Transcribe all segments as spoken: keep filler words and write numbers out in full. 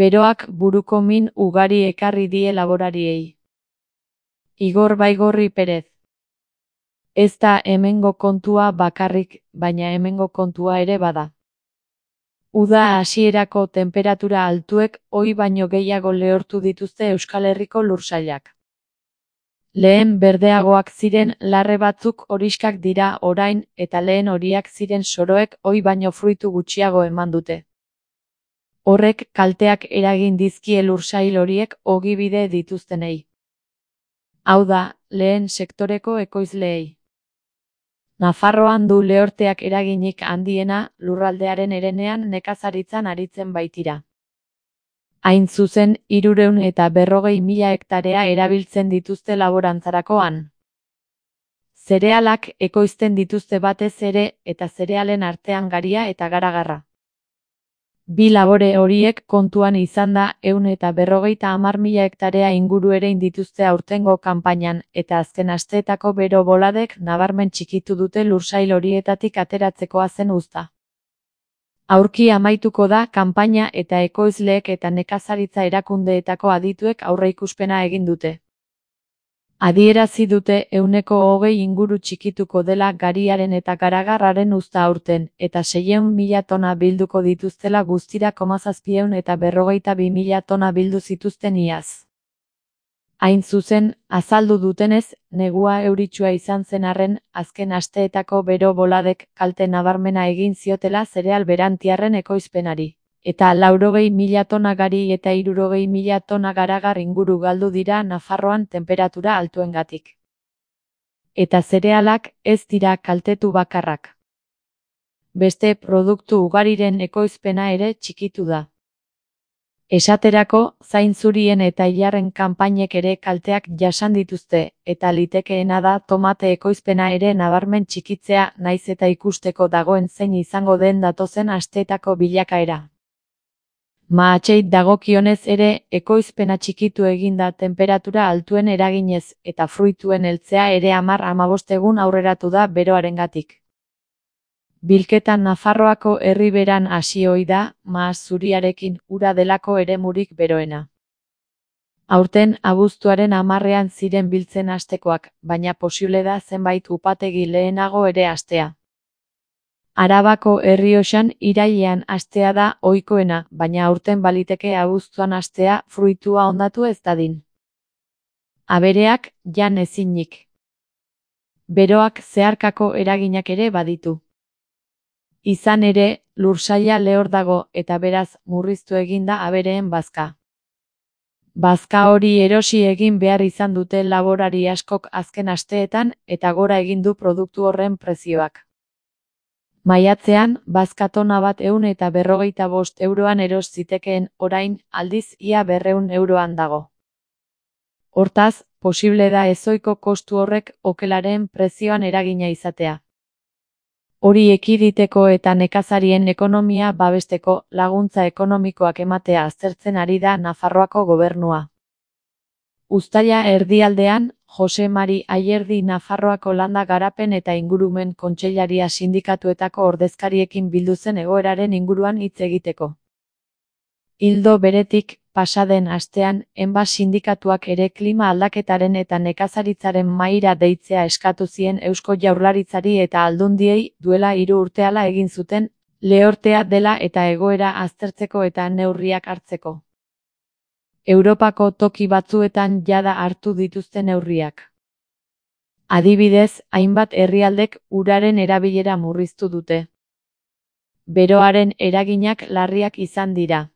Beroak buruko min ugari ekarri die laborariei. Igor Baigorri Perez. Ez da hemengo kontua bakarrik, baina hemengo kontua ere bada. Uda hasierako tenperatura altuek ohi baino gehiago lehortu dituzte Euskal Herriko lursailak. Lehen berdeagoak ziren larre batzuk horixkak dira orain eta lehen horiak ziren soroek ohi baino fruitu gutxiago eman dute. Horrek kalteak eragin dizkie lursail horiek ogibide dituztenei. Hau da, lehen sektoreko ekoizleei. Nafarroan du lehorteak eraginik handiena lurraldearen herenean nekazaritzan aritzen baitira. Hain zuzen, hirurehun eta berrogei mila hektarea erabiltzen dituzte laborantzarakoan. Zerealak ekoizten dituzte batez ere eta zerealen artean garia eta garagarra. Bi labore horiek kontuan izan da ehun eta berrogeita hamar mila hektarea inguru erein dituzte aurtengo kanpainan eta azken asteetako bero boladek nabarmen txikitu dute lursail horietatik ateratzekoa zen uzta. Aurki amaituko da kanpaina eta ekoizleek eta nekazaritza erakundeetako adituek aurreikuspena egin dute. Adierazi dute ehuneko hogei inguru txikituko dela gariaren eta garagarraren uzta aurten, eta seiehun mila tona bilduko dituztela guztira hamazazpiehun eta berrogeita bi mila tona bildu zituzten iaz. Hain zuzen, azaldu dutenez, negua euritsua izan zen arren, azken asteetako bero boladek kalte nabarmena egin ziotela zereal berantiarren ekoizpenari. Eta laurogei mila tona gari eta hirurogei mila tona garagar inguru galdu dira Nafarroan tenperatura altuengatik. Eta zerealak ez dira kaltetu bakarrak. Beste produktu ugariren ekoizpena ere txikitu da. Esaterako, zainzurien eta ilarren kanpainek ere kalteak jasan dituzte, eta litekeena da tomate ekoizpena ere nabarmen txikitzea naiz eta ikusteko dagoen zein izango den datozen asteetako bilakaera. Mahatsei dagokionez ere, ekoizpena txikitu eginda tenperatura altuen eraginez, eta fruituen heltzea ere hamar hamabost egun aurreratu da beroarengatik. Bilketan Nafarroako herriberan hasi ohi da, mahats zuriarekin ura delako eremurik beroena. Aurten abuztuaren hamarrean ziren biltzen hastekoak, baina posible da zenbait upategi lehenago ere hastea. Arabako Errioxan irailean hastea da ohikoena, baina aurten baliteke abuztuan hastea fruitua hondatu ez dadin. Abereak jan ezinik. Beroak zeharkako eraginak ere baditu. Izan ere, lursaila lehor dago eta beraz murriztu egin da abereen bazka. Bazka hori erosi egin behar izan dute laborari askok azken asteetan eta gora egin du produktu horren prezioak. Maiatzean, bazka tona bat ehun eta berrogeita bost euroan eros zitekeen, orain, aldiz ia berrehun euroan dago. Hortaz, posible da ezohiko kostu horrek okelaren prezioan eragina izatea. Hori ekiditeko eta nekazarien ekonomia babesteko laguntza ekonomikoak ematea aztertzen ari da Nafarroako gobernua. Uztaila erdialdean, Jose Mari Ayerdi Nafarroako Landa Garapen eta Ingurumen Kontseilaria sindikatuetako ordezkariekin bildu zen egoeraren inguruan hitz egiteko. Ildo beretik, pasaden astean, enba sindikatuak ere klima aldaketaren eta nekazaritzaren mahaira deitzea eskatu zien Eusko Jaurlaritzari eta Aldundiei duela hiru urte hala egin zuten, lehortea dela eta egoera aztertzeko eta neurriak hartzeko. Europako toki batzuetan jada hartu dituzten neurriak. Adibidez, hainbat herrialdek uraren erabilera murriztu dute. Beroaren eraginak larriak izan dira.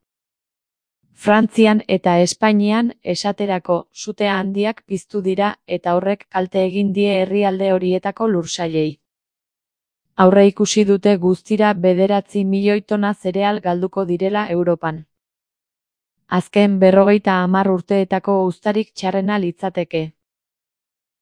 Frantzian eta Espainian, esaterako, sute handiak piztu dira eta horrek kalte egin die herrialde horietako lursailei. Aurreikusi dute guztira bederatzi milioi tona zereal galduko direla Europan. Azken berrogeita hamar urteetako uztarik txarrena litzateke.